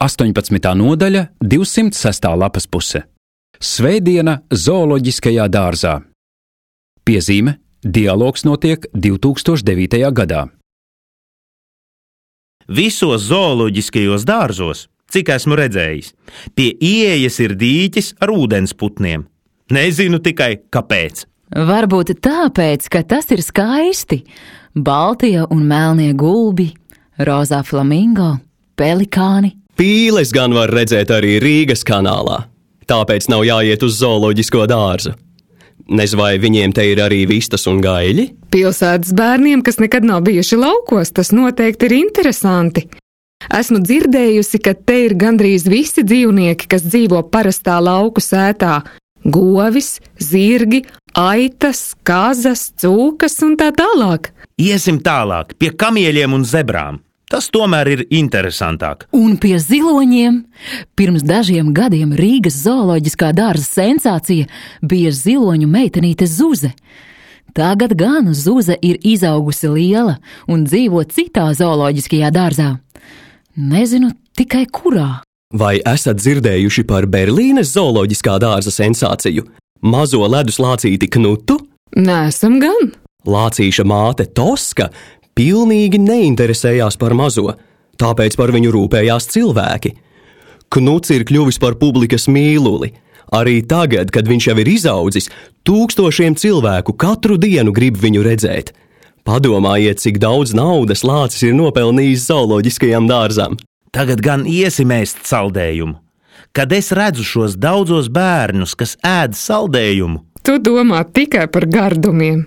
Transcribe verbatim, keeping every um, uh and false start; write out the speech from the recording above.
astoņpadsmitā nodaļa, divsimt sestā lapas puse. Svētdiena zooloģiskajā dārzā. Piezīme: dialogs notiek divi tūkstoši devītajā gadā. Visos zooloģiskajos dārzos, cik esmu redzējis, pie ieejas ir dīķis ar ūdensputniem. Nezinu tikai, kāpēc. Varbūt tāpēc, ka tas ir skaisti. Baltie un melnie gulbi, rozā flamingo, pelikāni. Pīles gan var redzēt arī Rīgas kanālā, tāpēc nav jāiet uz zooloģisko dārzu. Nez vai viņiem te ir arī vistas un gaļi? Pilsētas bērniem, kas nekad nav bijuši laukos, tas noteikti ir interesanti. Esmu dzirdējusi, ka te ir gandrīz visi dzīvnieki, kas dzīvo parastā lauku sētā. Govis, zirgi, aitas, kazas, cūkas un tā tālāk. Iesim tālāk, pie kamieļiem un zebrām. Tas tomēr ir interesantāk. Un pie ziloņiem. Pirms dažiem gadiem Rīgas zooloģiskā dārza sensācija bija ziloņu meitenīte Zuze. Tagad gan Zuze ir izaugusi liela un dzīvo citā zooloģiskajā dārzā. Nezinu tikai kurā. Vai esat dzirdējuši par Berlīnes zooloģiskā dārza sensāciju? Mazo ledus lācīti Knutu? Nesam gan. Lācīša māte Toska pilnīgi neinteresējās par mazo, tāpēc par viņu rūpējās cilvēki. Knuts ir kļuvis par publikas mīluli. Arī tagad, kad viņš jau ir izaudzis, tūkstošiem cilvēku katru dienu grib viņu redzēt. Padomājiet, cik daudz naudas lācis ir nopelnījis zooloģiskajam dārzam. Tagad gan iesim ēst saldējumu. Kad es redzu šos daudzos bērnus, kas ēd saldējumu, Tu domā tikai par gardumiem.